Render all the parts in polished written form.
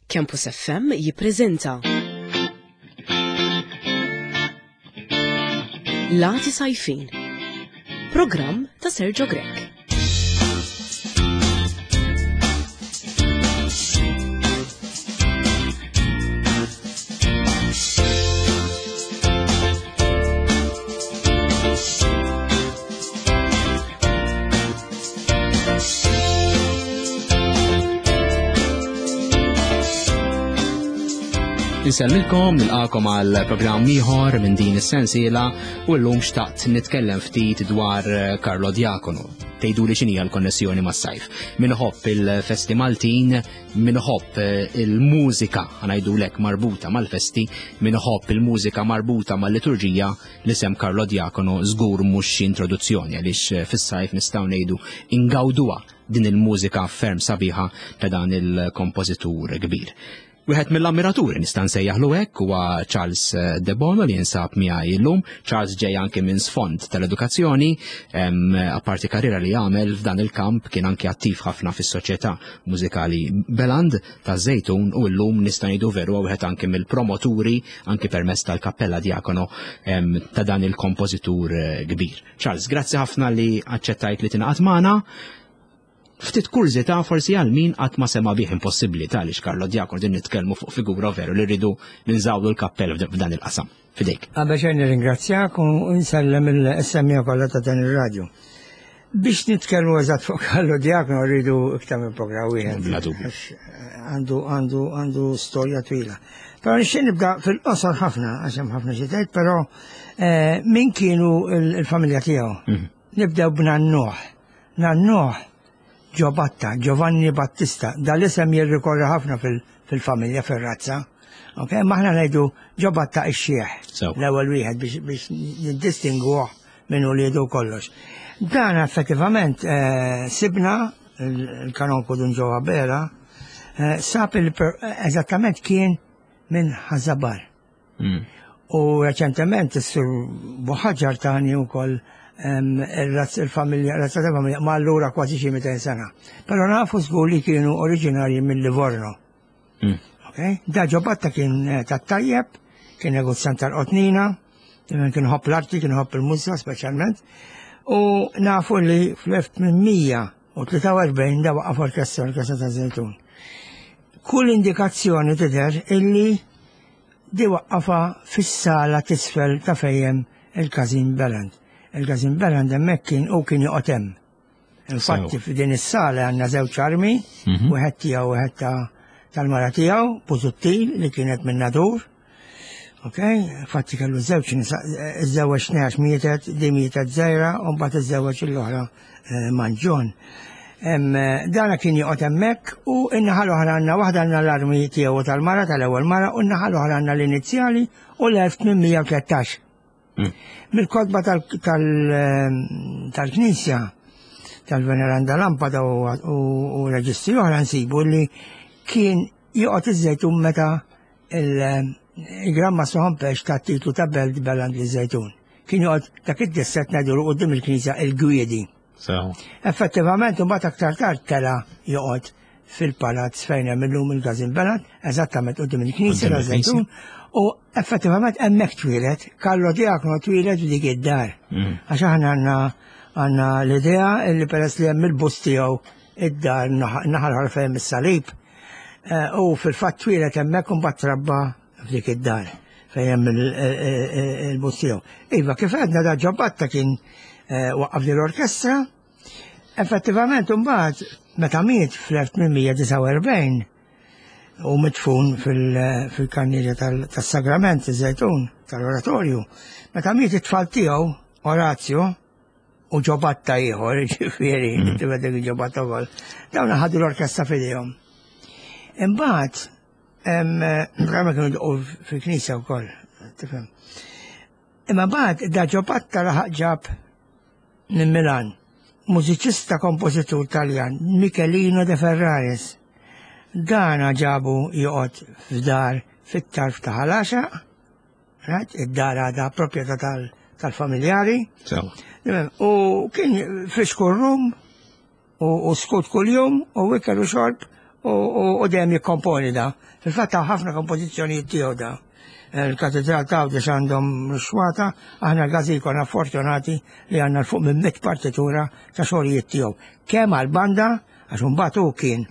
Campus FM jippreżenta Lati Sajfin Programm ta' Sergio Grech. Insellmilkom, nilqakom għal programm ieħor minn din is-sensiela u llum xtaqt nitkellem ftit dwar eh, Carlo Diacono. Tgħidu li x'inhi l-konnessjoni mas-sajf. Min iħobb il-festi Maltin, min iħobb eh, il-mużika ngħidulek marbuta mal-festi, min iħobb il-mużika marbuta mal-liturġija, L-isem Carlo Diacono żgur mhux xi introduzzjoni għaliex eh, fis-sajf nistgħu ngħidu ingawduha din il-mużika ferm sabiħa ta' dan il-kompożitur kbir. Wieħed mill-ammiraturi nista' nsejjaħlu hekk huwa Charles eh, De Bono li jinsab miegħi llum. Charles ġej anke minn sfond tal-edukazzjoni, apparti karriera li għamel f'dan il-kamp kien anke attiv ħafna fis-soċjetà mużikali Beland ta' Żejtun u llum nista' ngħidu veru wieħed anke mill-promoturi anke permezz tal-Kappella Diakono ta' dan il-kompożitur eh, kbir. Charles, grazzi ħafna li aċċettajt li tingħaqad magħna. Ftit kurżità forsi għal min qatt ma sema bih impossibbli tal Carlo Diakono din nitkellmu fuq figura veru li rridu ninżawlu l-kappell f'dan il-qasam. Fidejk. Qabel xejn nirringrazzjak u nsellem il-semmija kollha ta' dan ir-radju. Biex nitkellmu eżatt fuq Carlo Diacono rridu iktar minn programm wieħed. Bla dubju. Eh, għandu għandu għandu storja twila. Però nixtieq nibda fil-qosor ħafna għax hemm ħafna xi tgħid, però eh, min kienu il-familja tiegħu. Mhm. Nibdew b'nannuh. Nannuh Giobatta, Giovanni Battista, dal-isem jirrikorri ħafna fil-familja, fil-razza. Ok, maħna ngħidu Giobatta ix-xieħ. L-ewwel wieħed biex niddistingwuh minn uliedu kollox. Dan effettivament eh, sibna il-kanonku Dun Ġo Abela, eh, sab eżattament kien minn Ħażabar. Mm. U reċentement is-sur Buħaġar tani wkoll il-familja, razza ta' familja, ma allura kważi xi 200 sena. Però nafu żgur li kienu oriġinarji minn Livorno. Mm. Okay? Da ġobatta kien eh, tat-tajjeb, kien negozjant tal-qotnina, kien ħobb l-arti, kien ħobb il-mużika speċjalment. U nafu li fl-1843 da waqaf orkestra, orkestra ta' Zejtun. Kull indikazzjoni tidher illi di waqqafa fis-sala tisfel ta' fejjem il-Każin Beland. Il-Każin Beland hemmhekk kien u kien joqgħod hemm. Infatti f'din is-sala għandna żewġ armi, mhm. wieħed tiegħu wieħed tal-mara tiegħu, Busuttil li kienet minn Nadur. Ok, infatti kellu żewġ nisa, iżżewweġ għax mietet, di mietet żgħira, u mbagħad iżżewweġ l-oħra eh, Manġon. Eh, dana kien joqgħod hemmhekk u n-naħa l-oħra għandna waħda għandna l-armi tiegħu tal-mara tal-ewwel mara u n-naħa l-oħra għandna l-inizjali u l-1813. Mm. Mill-kotba tal-Knisja tal-Veneranda Lampada u reġistri oħra nsibu li kien joqgħod iż-żejtun meta il-Gran Mastru Ħompex ta' titlu ta' Belt Beland li żejtun. Kien joqgħod dak id-disset ngħidulu qudiem il-Knisja il-Gwiedi. Effettivament imbagħad aktar tard tela joqgħod fil-palazz fejn hemm illum il-Gazin Beland, eżattament qudiem il-Knisja ta' Żejtun, u effettivament hemmhekk twieled, Carlo Diacono twieled f'dik id-dar. Mm. Għax aħna għandna għandna l-idea li peress li hemm il-bust tiegħu id-dar naħal fejn is-salib, eh, u fil-fatt twieled hemmhekk u mbagħad trabba f'dik id-dar fejn hemm il-bust tiegħu. Iva, kif għedna da ġobatta kien eh, waqqaf li l-orkestra, effettivament imbagħad meta miet fl-1849 u mitfun fil-kannierja tas-sagrament iż-żejtun tal-oratorju, meta miet it-tfal tiegħu Orazio u ġobatta ieħor, ġifieri, mm. tibedek ġobatta wkoll, dawn ħadu l-orkestra f'idejhom. Imbagħad Prima kienu jdoqqu fil-knisja wkoll, tifhem. Imma bad da ġobatta laħaq ġab minn Milan, mużiċista kompożitur Taljan, Michelino de Ferraris. Dana ġabu joqgħod f'dar fit-tarf ta' Ħalaxa, right? id-dar għadha proprjetà tal-familjari. U kien fixkur rum u skut kuljum u ikel u xorb. U dejjem jikkomponi da. Fil-fatt ħafna kompożizzjonijiet tiegħu da. Il-katedral ta' Għawdex għandhom xwata, aħna l-Gazin konna fortunati li għandna 'l fuq minn 100 partitura ta' xogħlijiet tiegħu. Kemm għall-banda, għax imbagħad hu kien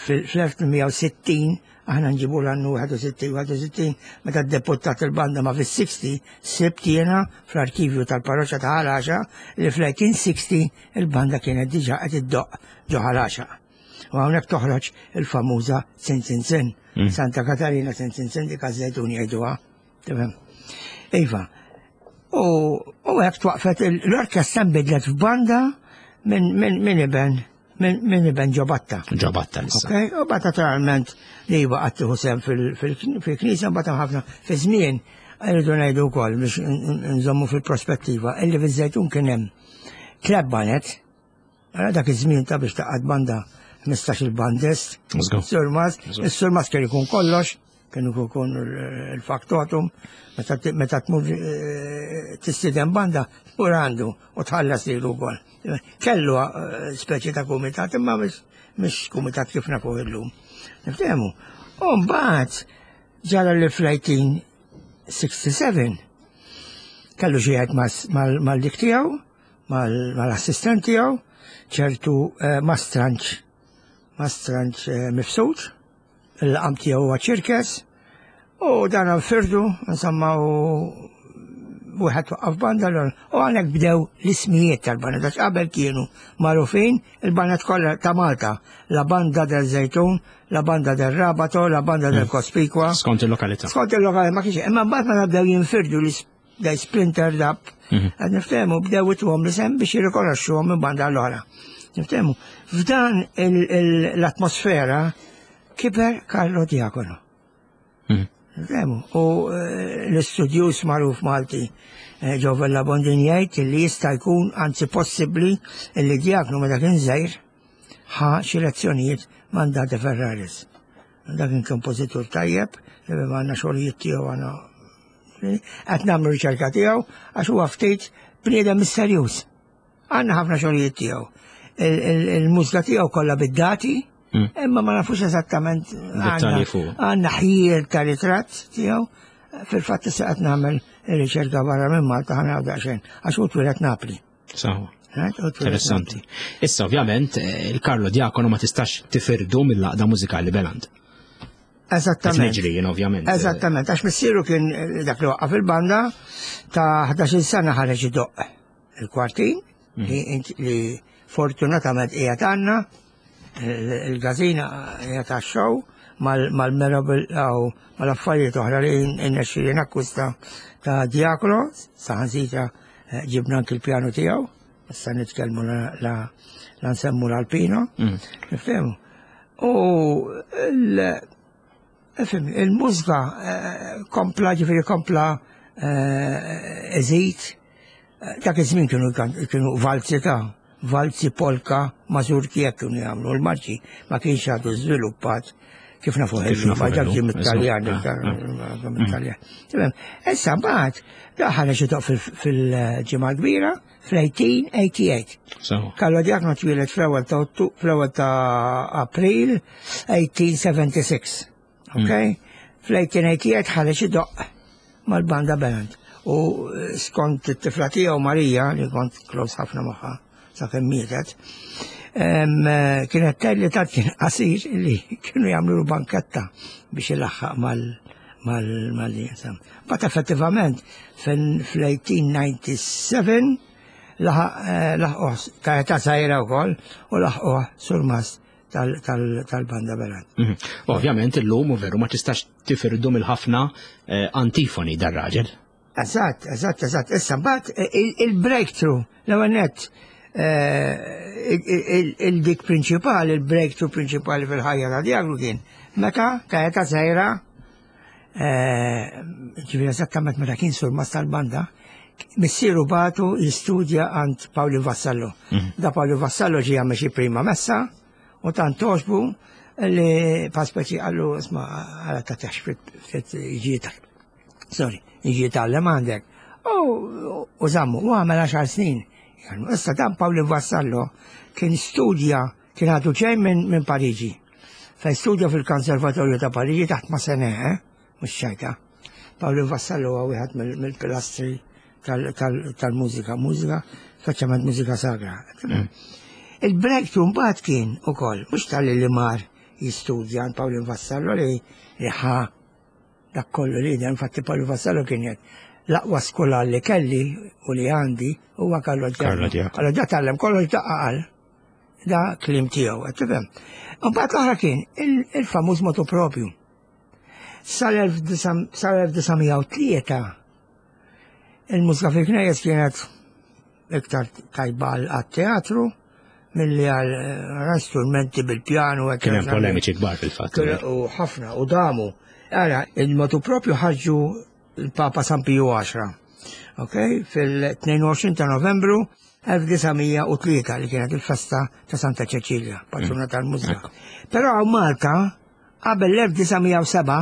fl-1860, aħna nġibu l-annu 61, 61, meta ddebuttat il-banda ma fis-60, sibt jiena fl-arkivju tal-parroċċa ta' Ħal Għaxaq li fl-1860 il-banda kienet diġà qed iddoqq ġo Ħal Għaxaq. U hawnhekk toħroġ il-famuża Sin Sin Sin. Santa Katarina Sin Sin Sin dik għaż-Żejtun jgħiduha. Tifhem? Iva. U hekk twaqfet l-orkestra nbidlet f'banda minn iben minn iben Ġobatta. Ġobatta issa. Ok, u bat naturalment li baqgħet tieħu sehem fil-knisja mbagħad ħafna fi żmien rridu ngħidu wkoll biex nżommu fil-prospettiva illi fiż-Żejtun kien hemm tliet banet. Għala dak iż-żmien ta' biex taqgħad banda 15 il-bandist. Surmas, is-surmas kien ikun kollox, kien ikun il-faktotum, meta tmur tistieden banda, tmur għandu u tħallas lilu wkoll. Kellu speċi ta' kumitat, imma mhux kumitat kif nafu illum. Niftehmu. U mbagħad ġara li fl-1867 kellu xi jgħid mal-dik tiegħu, mal-assistent tiegħu, ċertu Mastranċ Mifsud, il-laqam tiegħu huwa Ċirkes, u dan firdu, insomma, u wieħed waqqaf banda l u għalhekk bdew l-ismijiet tal-banda, għax qabel kienu magħrufin il-bandet kollha ta' Malta, la Banda del Żejtun, la Banda del Rabato, la Banda del Cospicua. Skont il-lokalità. Skont il-lokalità, ma kienx, imma mbagħad meta bdew jinfirdu l they splintered up, qed niftehmu bdew ituhom l-isem biex jirrikonoxxuhom minn banda l-oħra. Niftehmu, f'dan l-atmosfera kiber Carlo Diacono. Niftehmu, u l-istudjuż magħruf Malti Joe Vella Bondin jgħid li jista' jkun anzi possibbli li Diacono meta kien żgħir ħa xi lezzjonijiet ma' Andate Ferraris. Dak kien kompożitur tajjeb, li għandna xogħlijiet tiegħu għandna qed nagħmlu riċerka tiegħu għax huwa ftit bniedem misterjuż. Għandna ħafna xogħlijiet tiegħu. Il-mużika tiegħu kollha bid-dati, imma ma nafux eżattament għandna ħjiel ta' ritratt tiegħu. Fil-fatt issa qed nagħmel ir-riċerka barra minn Malta ħa naraw daqsxejn għax hu twieled Napli. Sawa. Interessanti. Issa ovvjament il-Carlo Diacono ma tistax tifirdu mill-laqda mużikali Beland. Eżattament. Niġri jien ovvjament. Eżattament, għax missieru kien dak li waqqaf il-banda ta' 11 sena ħareġ idoqq il-kwartin li fortunatament qiegħed għandna il-gazina qiegħed għax-show mal-merabil aw mal-affarijiet oħra li nnexxieli nakkwista ta' Diacono, saħansitra ġibna anki l-pjanu tiegħu, issa nitkellmu la nsemmu l-Alpino, nifhemu. U il-mużika kompla, ġifieri kompla eżid, dak iż-żmien kienu valzi ta' valzi, polka, mazurki hekk kienu jagħmlu l-marċi ma kienx għadu żviluppat kif nafu Kif nafu ma dak ġie illum, mit-Taljan, eżatt. mit-Taljan. Tifhem, issa mbagħad daħal xi toq fil-ġimgħa kbira fl-1888. Sawa. Carlo Diacono twieled fl-ewwel ta' Ottu, fl-ewwel ta' April 1876. Ok? Fl-1888 ħareġ idoqq mal-banda Beland. U skont it-tifla tiegħu Marija, li kont close ħafna magħha sakemm mietet, kienet tgħid li tant kien qasir li kienu jagħmlu banketta biex ilaħħaq mal insam. But effettivament fl-1897 laħquh ta' età żgħira wkoll u laħquh surmast tal-banda Beland. Ovvjament illum u veru ma tistax tifirdu mill-ħafna antifoni dar-raġel. Eżatt, eżatt, eżatt. Issa mbagħad il-breakthrough, l-ewwel nett, il-dik prinċipali, il-breakthrough prinċipali fil-ħajja ta' Diacono kien meta ta' età żgħira, ġifieri eżattament meta kien surmast tal-banda, missieru bagħtu jistudja għand Paolo Vassallo. Da Paolo Vassallo ġie jagħmel xi prima messa u tant toġbu li pa speċi qallu isma' għala ta' tax fit jiġi ta' sorry, jiġi tgħallem għandek. U żammu, u għamel 10 snin. Issa dan Paolo Vassallo kien studja, kien għadu ġej minn Pariġi. Fejn studja fil-Konservatorju ta' Pariġi taħt Massenet, eh? mhux ċajta. Pawlin Vassallo huwa wieħed mill-pilastri tal-mużika, mużika, speċjalment mużika sagra. Mm. Il-breakthrough mbagħad kien ukoll, mhux tal-li li mar jistudja għand Pawlin Vassallo li ħa dak kollu li infatti Pawlin Vassallo kien jgħid l-aqwa skola li kelli u li għandi huwa Carlo Giacomo. Carlo Giacomo tgħallem kollox daqqa qal. Da klim tiegħu, qed tifhem. Mbagħad l-oħra kien il-famuż motu propju. Sal-1903 il-mużika fil-knejjes kienet iktar tajba għat-teatru milli għal eh, strumenti bil-pjanu. Kien hemm polemiċi kbar fil-fatt. U ħafna u damu. Ara, il-motu propju ħarġu il-Papa San Piju 10. Ok, fil-22 ta' Novembru 1903 li kienet il-festa ta' Santa Ċeċilja, patruna mm. tal-mużika. Però għaw Malta, qabel l-1907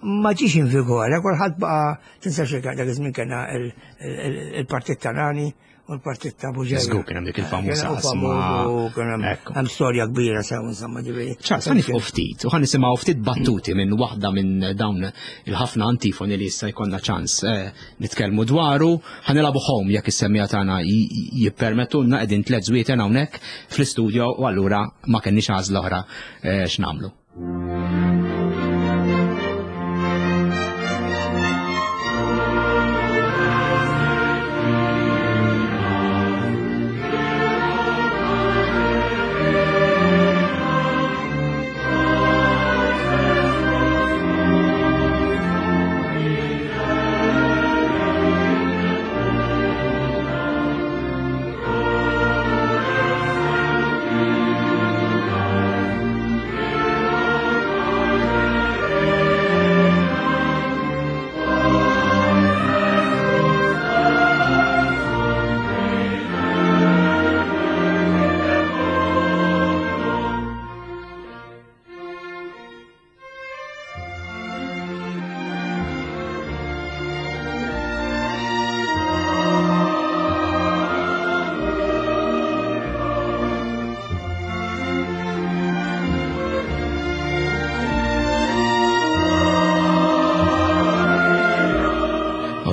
ma ġiex in vigore, kulħadd baqa' tinsa xi dak iż-żmien kellna il-Partit ta' Nani u l-Partit ta' Buġeja. Żgur kien hemm dik il-famuża qasma. Hemm storja kbira sew insomma ġifieri. Ċars, ħa nifqu ftit u ħa nisimgħu ftit battuti minn waħda minn dawn il-ħafna antifoni li issa jkollna ċans eh, nitkellmu dwaru. Ħa nilagħbu home jekk is-semmija tagħna jippermettulna qegħdin tliet żwieten hawnhekk fl-istudio u allura ma kenniex għażla oħra eh, x'nagħmlu.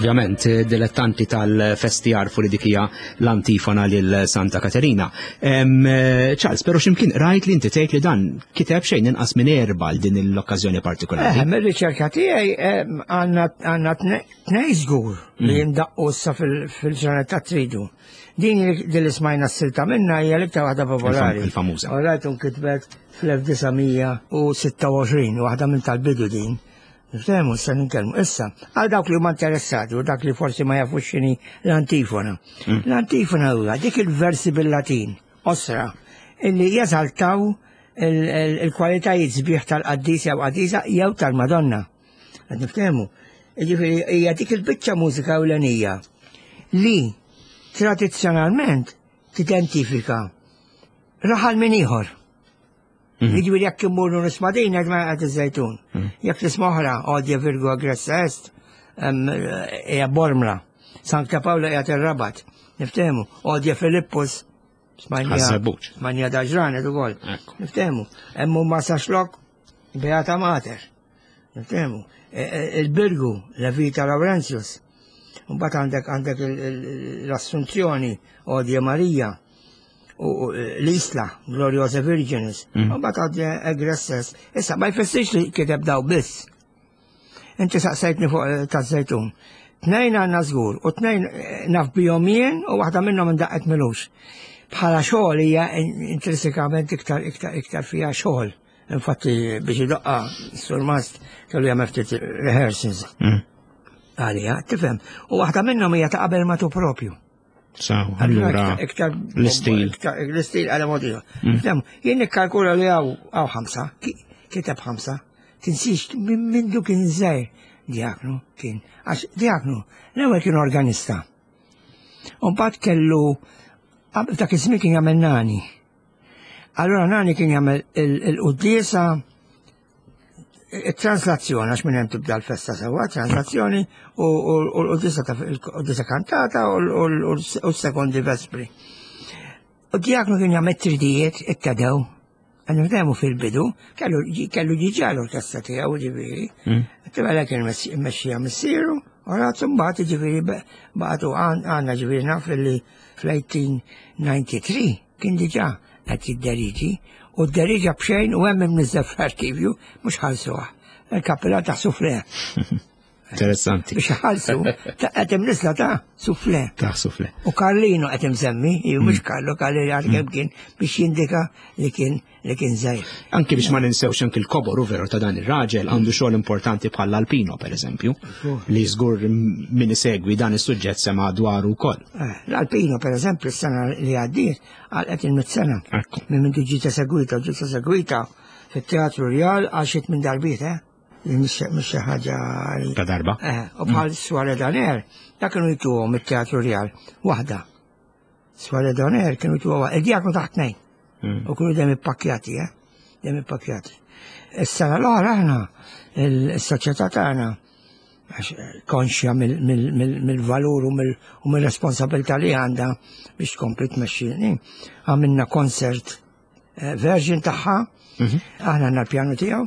Ovvjament, dilettanti tal-festi jarfu li dik hija l-antifona lil Santa Katerina. Charles, pero ximkien rajt li inti tgħid li dan kiteb xejn inqas minn erba' għal din l-okkażjoni partikolari. Eh, mir-riċerka tiegħi għandna tnej żgur li mm. jindaqqu issa fil-ġranet ta' tridu. Din li li smajna s-silta minna hija l-iktar waħda popolari. Il-famuża. U rajt kitbet fl-1926, waħda minn tal-bidu din. Niftehmu issa nitkellmu. Issa, għal dawk li huma interessati u dak li forsi ma jafux x'inhi l-antifona. Mm. L-antifona huwa dik il-versi bil-Latin, osra, illi jeżaltaw il-kwalitajiet sbieħ tal-qaddis jew qaddisa jew tal-Madonna. Qed niftehmu. Jiġifieri hija dik il-biċċa mużika ewlenija li tradizzjonalment tidentifika raħal minn ieħor. Mhm. Jiġifieri jekk immurru nisma' din qed ma qed iż-żejtun. Mhm. Jekk tisma' oħra Odja Virgo Aggressa Est hija Bormla. Sankta Pawla qiegħed ir-Rabat. Niftehmu. Odja Filippus Smajnija daġranet ukoll. Niftehmu. Hemm ma saxlok Beata Mater. Niftehmu. E, e, il-Birgu, Levita Laurentius. Mbagħad għandek għandek l-Assunzjoni, Odja Marija, u l-Isla, Gloriosa Virginis. Mm. Mbagħad għandek Egresses. Issa ma jfissirx li kiteb daw biss. Inti saqsejtni fuq eh, taż-żejtun. Tnejn għandna żgur u tnejn eh, naf bihom jien u waħda minnhom indaqqet milux. Bħala xogħol hija intrinsikament iktar iktar iktar fiha xogħol. Infatti biex idoqqa surmast kellu jagħmel ftit rehearsals. Mm. Għalija, tifhem. U waħda minnhom hija ta' qabel matu propju. Saw, allura iktar l-istil. L-istil għala mod ieħor. Mm. Jien nikkalkula li hawn hawn ħamsa, kiteb ħamsa. Tinsix minn mindu kien żgħir diaknu kien. Għax diaknu l-ewwel kien organista. U mbagħad kellu qabel dak iż-żmien kien jagħmel nani. Allura nani kien jagħmel il-quddiesa it-translazzjoni, għax minn hemm tibda l-festa sewwa, translazzjoni u l-qudisa ta' l-qudisa kantata u s-sekondi vespri. U diaknu kien jagħmel tridijiet it-tedew. Għan fil-bidu, kellu kellu ġiġa l-orkestra tiegħu ġifieri. Tibgħalek kien mexxija missieru, u ratu mbagħad ġifieri baqgħu għandna ġifieri naf li fl-1893 kien diġà qed jidderiġi u dderiġa b'xejn u hemm imniżżel fl-arkivju mhux ħallsuha. Il-kappella ta' sufle. Interessanti. Biex ħalsu, qed imniżla ta' sufle. Ta' sufle. U Karlino qed imsemmi, mhux Karlo Karlino għal kemm kien biex jindika li kien li kien żgħir. Anki biex ma ninsewx anki l-kobor u veru ta' dan ir-raġel għandu xogħol importanti bħal Alpino pereżempju, li żgur min isegwi dan is-suġġett sema dwaru wkoll. Eh, L-Alpino pereżempju s-sena li għaddiet għalqet il-mit sena. Minn minn ġiet esegwita, ġiet esegwita fit-Teatru Rjal għal xi minn darbiet, eh? Li mhix xi ħaġa Ta' darba. Eh, u bħal Soirée d'Honneur, dak kienu jtuhom it-Teatru Rjal waħda. Soirée d'Honneur kienu jtuhom il-diaknu taħt tnejn. U kienu dejjem ippakkjati, eh? Dejjem ippakkjati. Is-sena l-oħra aħna, il-soċjetà tagħna, għax konxja mill-valur u mill-responsabilità li għandha biex tkompli tmexxi. Għamilna concert eh, version tagħha, aħna għandna l-pjanu tiegħu,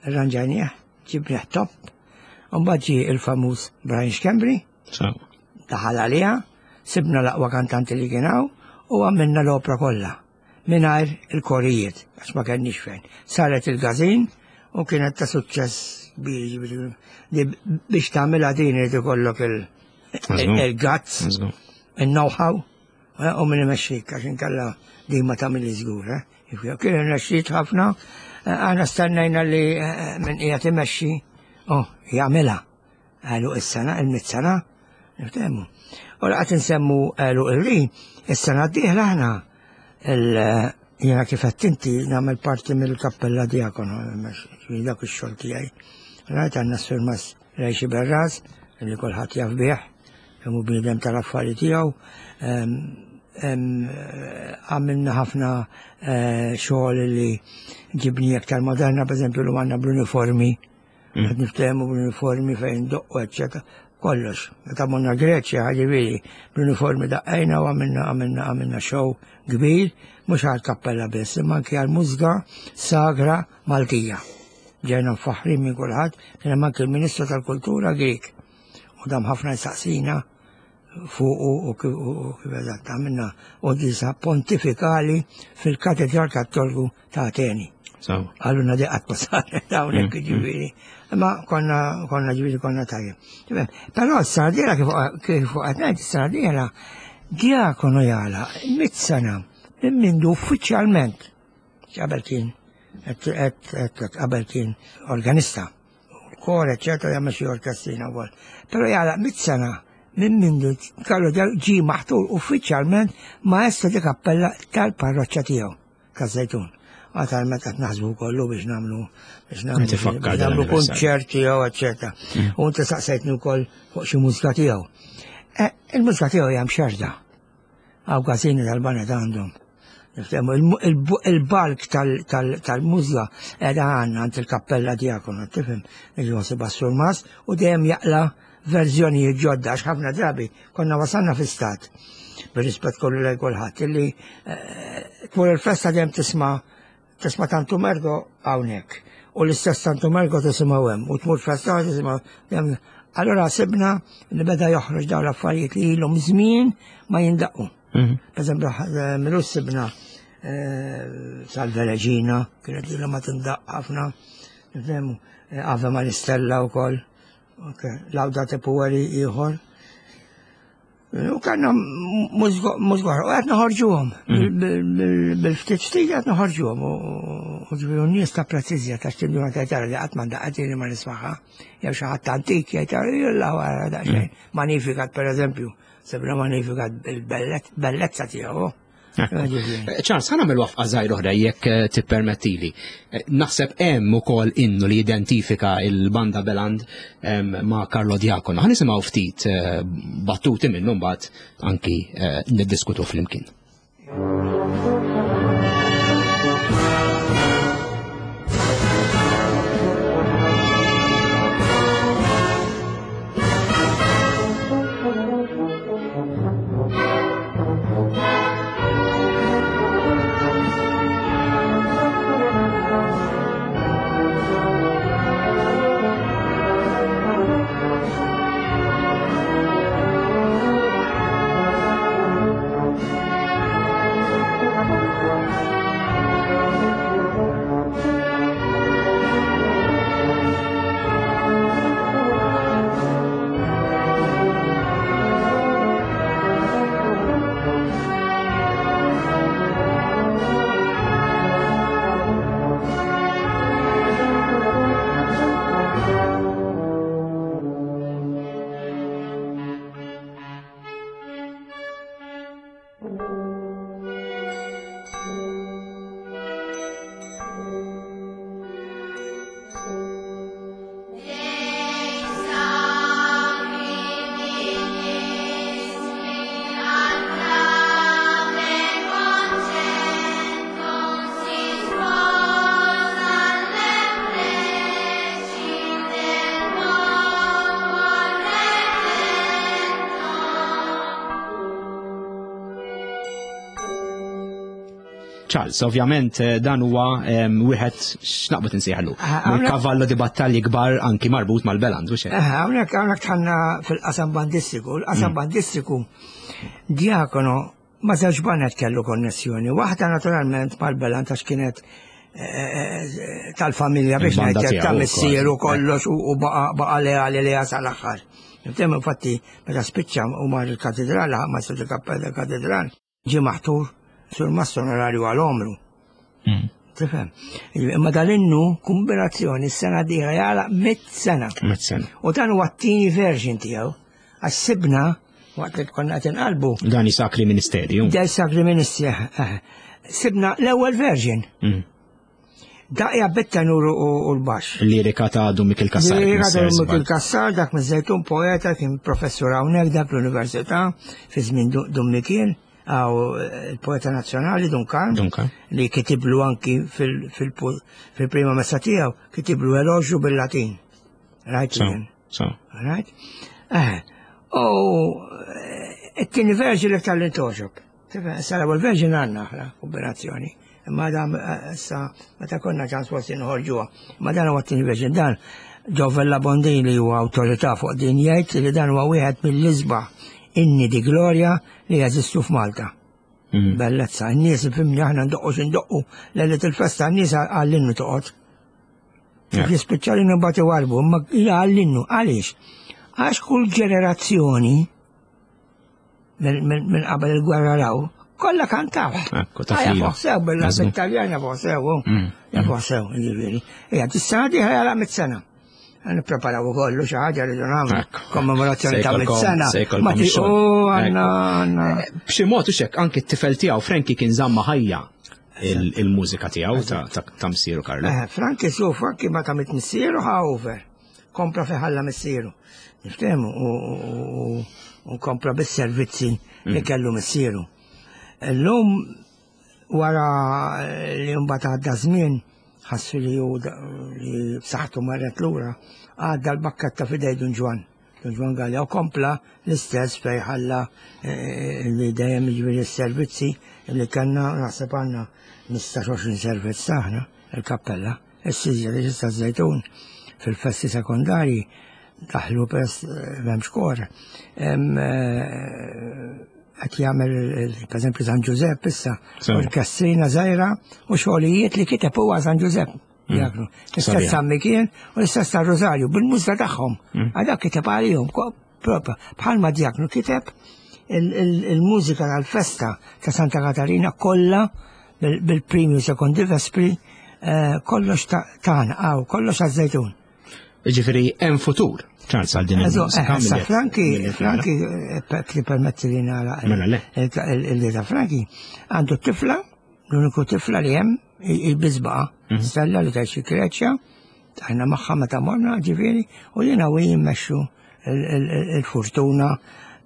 arranġajnieh, ġibnieh top, u mbagħad ġie il-famuż Brian Schembri, daħal għaliha, sibna l-aqwa kantanti li kien hawn u għamilna l-opra kollha mingħajr il-korijiet għax ma kenniex fejn. Saret il-gazin u kienet ta' suċċess kbir li biex tagħmilha din irid ikollok il-guts, il-know-how eh, u min imexxik għax inkella din ma tagħmilli żgur. Eh. Kien irnexxiet ħafna, eh, aħna stennejna li min qiegħed imexxi oh, jagħmilha. Għalu is-sena, il-mit sena, niftehmu. U laqgħet insemmu għalu ir-ri, is-sena d-dieħla aħna jiena kif qed inti nagħmel parti mill-kappella diakono, dak ix-xogħol tiegħi. Rajt għandna s-surmas Rejxi Berraz, li kulħadd jaf bih, kemm hu bniedem tal-affari tiegħu. Għamilna ħafna eh, xogħol li ġibni aktar moderna, per eżempju, l għandna bl-uniformi, qed niftehmu bl-uniformi fejn doqqu, eċċetera. Kollox. Meta morna Greċja, ġifieri, bl-uniformi daqqejna u għamilna għamilna għamilna show kbir, mhux għal kappella biss, imma anki għal mużika sagra Maltija. Ġejna mfaħħrin minn kulħadd, kien hemm anki l-Ministru tal-Kultura Grieg. U dam ħafna jsaqsina fuqu u kif eżatt għamilna quddiesa pontifikali fil-Katedral Kattoliku ta' Ateni. Għalluna di qatt ma saret hawnhekk ġifieri. Imma konna konna ġifieri konna tajjeb. Però s-sena dieħla kif qed ngħid is-sena dieħla diakonu jagħlaq mit sena minn mindu uffiċjalment qabel kien qabel kien organista kor, eccetera, jagħmel xi orkestrina wkoll. Però jagħlaq mit sena minn mindu Carlo ġie maħtur uffiċjalment maestro di kappella tal-parroċċa tiegħu taż-Żejtun. Għatal meta qed naħsbu kollu biex nagħmlu biex nagħmlu kunċert tiegħu, eccetera. U inti saqsejtni wkoll fuq xi mużika tiegħu. Eh, il-mużika tiegħu hija mxerda. Għaw każini tal-banet għandhom. Il-balk tal-mużla edha għanna għand il-kappella diakonu, tifhem, il-Josip Surmas, u dejjem jaqla verżjonijiet ġodda, għax ħafna drabi konna wasalna fi stat, bir-rispett kollu lejn kulħadd, illi eh, tmur il-festa dejjem tisma' tisma' Tantu Mergo hawnhekk. U l-istess Tantu Mergo tisimgħu hemm u tmur festa tisimgħu. Allora sibna li beda joħroġ dawn l-affarijiet li ilhom żmien ma jindaqqu. Mhm. Per eżempju, eh, milu sibna eh, Salve Regina, kienet li ma tindaq ħafna, nifhemu, eh, Ave Maristella wkoll, Laudate Pueri ieħor. U kanna mużgor, u għed noħorġuhom, mm. bil-ftit ftit għed noħorġuhom, u ġifieri n-nies ta' prezzizja ta' xtinduna ta' tara li qatt ma daqqa li ma nismaħa, jew xi ħadd antik jgħid jilla wara daqsxejn. Mm. Magnificat pereżempju, sebna Magnificat bil-bellezza tiegħu. Eh, Charles, ħana mill wafqa zaħir oħra jekk eh, tippermettili. Eh, naħseb hemm ukoll innu li identifika il-banda Beland ma' Carlo Diacono. Ħa nisimgħu ftit battuti minnu mbagħad anki niddiskutu flimkien. Charles, ovvjament eh, dan huwa wieħed x'naqbad insejħlu. Ah, kavallo di battalji kbar anki marbut mal-Beland, u xejn. Eh, hawnhekk hawnhekk tħanna fil-qasam bandistiku, l-qasam mm. bandistiku diakono ma żewġ banet kellu konnessjoni. Waħda naturalment mal-Beland għax kienet eh, tal-familja biex ngħidlek ta' missieru kollox u baqa' leali li jasal aħħar. Nifhem infatti meta spiċċa u mar il-katedral, ma il-katedral, Ġie maħtur surmast onorarju għal għomru. Hmm. Tifhem? Imma dal-innu kombinazzjoni s-sena d-dieħla jagħlaq mit sena. Mit sena. U dan huwa t-tieni version tiegħu. Għax sibna waqt li konna qed inqalbu. Dan Sakri Ministerju. Dan Sakri Ministerju. Eh, eh. Sibna l-ewwel version. Hmm. Daqja bit-tenur u l-baxx. Lirika ta' Dun Mikil Kassar. Lirika ta' Dun Mikil Kassar, dak miż-Żejtun poeta, kien professur hawnhekk dak l-università fi żmien Dun Mikil, għaw eh, il-poeta nazzjonali Dun Karm, li kitiblu anki fil-prima messa tiegħu, kitiblu eloġju bil-Latin. Rajt? Rajt? Eh, u eh, it-tieni verġi li tal-li toġob. Tifhem, issa l-ewwel version għandna aħna kombinazzjoni. Imma dan eh, issa meta konna ċans forsi nħorġuha. Imma dan huwa t-tieni version dan Giovella Bondini li huwa awtorità fuq din jgħid li dan huwa wieħed mill-isbaħ inni di glorja li jeżistu f'Malta. Mm. Bellezza, n-nies fimni aħna ndoqqu x'indoqqu lejlet il-festa n-nies għall-innu toqgħod. Kif jispiċċa l-innu bagħti warbu, imma għall-innu, għaliex? Għax kull ġenerazzjoni minn qabel il-gwerra law, kollha kantaw. Ekku, ta' fila. Sew, bil-Taljan jafu sew, mm. jafu sew, ġifieri. Ejja, tis-sena diħla jara mit-sena. Nippreparaw ukoll xi ħaġa li nagħmlu kommemorazzjoni ta' mit-sena. Ma għandna għandna. Eh, b'xi mod hekk anki t-tifel tiegħu Frankie kien żamma ħajja il-mużika tiegħu ta' missieru Karlo. Eh, Frankie su Frankie ma ta' mit missieru ħa over. Kompla fi ħalla missieru. Niftehmu u kompla bis-servizzi li mm. kellu missieru. Illum wara li mbagħad għadda żmien ħassu li hu li b'saħħtu marret lura, għadda l-bakketta f'idej Dun Ġwann. Dun Ġwann Galea u kompla l-istess fej ħalla eh, li dejjem jiġifieri s-servizzi li kellna naħseb għandna 15-20 servizz aħna il-kappella. Is-siġra li issa żejtun fil-festi sekondarji daħlu pers eh, m'hemmx kor. Eh, qed jagħmel pereżempju San Ġużepp issa orkestrina żgħira u xogħlijiet li kiteb huwa San Ġużepp. Mm. Jaklu. L-istess San Mikiel u l-istess ta' Rosario bil-mużra tagħhom. Mm. Għadak kiteb għalihom propja bħalma djaknu kiteb il-mużika tal-festa ta' Santa Katarina kollha bil-primi u sekondi vespri eh, kollox tagħna għaw, kollox għaż-żejtun. Ġifieri hemm futur ċans għal din il-mużika. Eh, Franki, Franki, eh, li permetti li nara. Mela le. Il-li ta' Franki għandu tifla, l-uniku tifla li hemm il-bizbaqa, mhm. stella li tgħix fi Greċja, aħna magħha meta morna ġifieri, u jiena u jimmexxu il-fortuna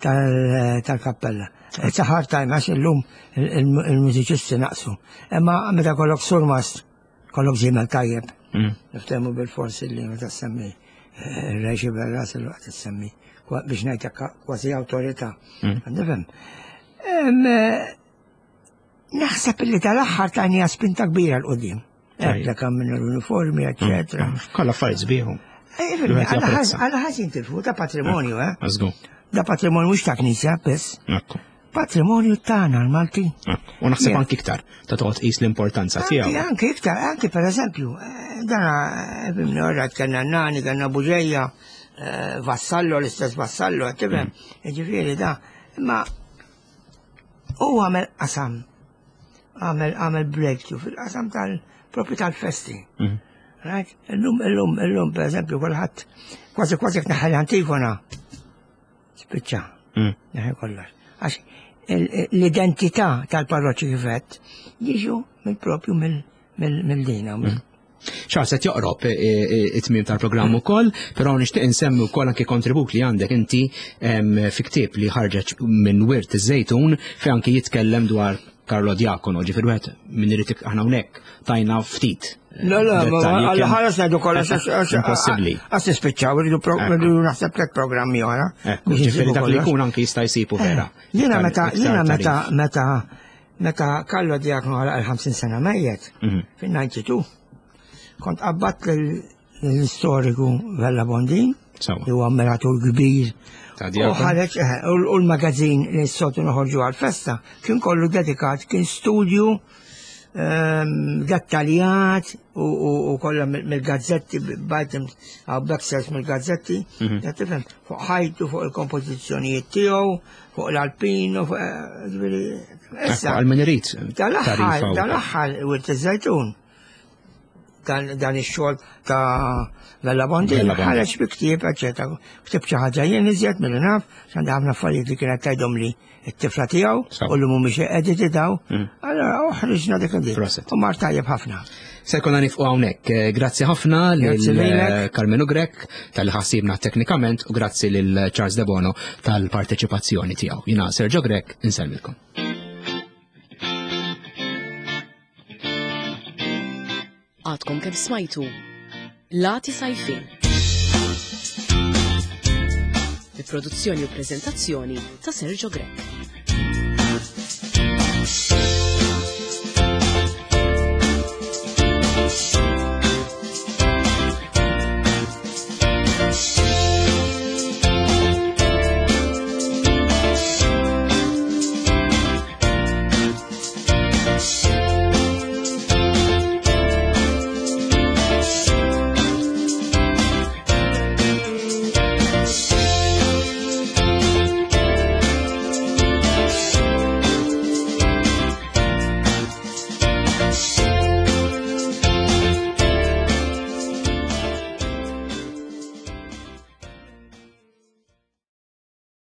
tal-kappella. It's a hard time għax illum il-mużiċisti naqsu. Imma meta kollok surmast, kollok żiemel tajjeb. Mm. Niftehmu bil-forsi li meta semmi eh, il-reġi berras il-waqt semmi biex ngħidlek kważi awtorità. Mm. Nifhem. Eh, naħseb li tal-aħħar tajnija spinta kbira l-qudiem. Għedda kam minn l-uniformi, eccetera. Mm. Kolla affarijiet sbieħu. Eh, għala ħażin tilfu ta' patrimonju, eh? Da patrimonju mhux ta' knisja biss. Patrimonju tagħna l-Malti. U naħseb anki iktar ta' toqgħod qis l-importanza tiegħu. Anki iktar, anki pereżempju, eh, dana eh, ora kellna nani, kellna Buġeja, Vassallo, l-istess Vassallo, tifhem, mm. ġifieri da, imma U għamel qasam, għamel għamel breakthrough fil-qasam tal-propju tal-festi. Mhm. Right? Illum, illum, illum, per eżempju, kulħadd kważi kważi jekk neħħel antifona. Spiċċa. Mm. Neħħel kollox. Għax l-identità tal-parroċċi kifet jiġu mill-propju mill-dina. Mm. Charles qed joqrob eh, eh, it-tmiem tal-programm ukoll, però nixtieq insemmi wkoll anke kontribut li għandek inti fi ktieb li ħarġet minn Wirt iż-Żejtun fejn anke jitkellem dwar Carlo Diacono, ġifier wieħed minn irid aħna hawnhekk tajna ftit. Le, le, għalla ħares ngħidu kollox impossibbli. Għas nispiċċaw, irridu naħseb tliet programmi oħra. Ġifieri dak li jkun anke jista' jsibu vera. Jiena meta jiena meta meta Meta Carlo Diakno għalaq il-50 sena mejjet, fin-92, kont qabbadt l-istoriku Vella Bondin, li huwa ammiratur kbir. U ħareġ, eh, u l-magazin li s-sotu noħorġu għal-festa, kien kollu dedikat, kien studju ehm, dettaljat u kollha mill-gazzetti, bajtim għaw backsers mill-gazzetti, mhm. tifhem, fuq ħajtu, fuq il-kompożizzjonijiet tiegħu, fuq l-alpino, fuq eh, ġifieri, issa. Għal min irid. Dal-aħħar, dal-aħħar, Wirt iż-Żejtun dan ix-xogħol ta' Vella Bondi ħareġ bi ktieb, eċetera. Ktib xi ħaġa jien iżjed milli naf, x'għandi ħafna affarijiet li kienet tgħidhom li t-tifla tiegħu u li mhumiex editi daw. Mm. Allora uħriġna dik id U mar tajjeb ħafna. Se jkollna nifqu hawnhekk. Eh, grazzi ħafna lil eh, Carmenu Grech tal ħassibna teknikament u grazzi lil Charles Debono tal-parteċipazzjoni tiegħu. Jina Sergio Grech, insellmilkom. Għadkom kemm smajtu Lati Sajfin. Bi produzzjoni u prezentazzjoni ta' Sergio Grech.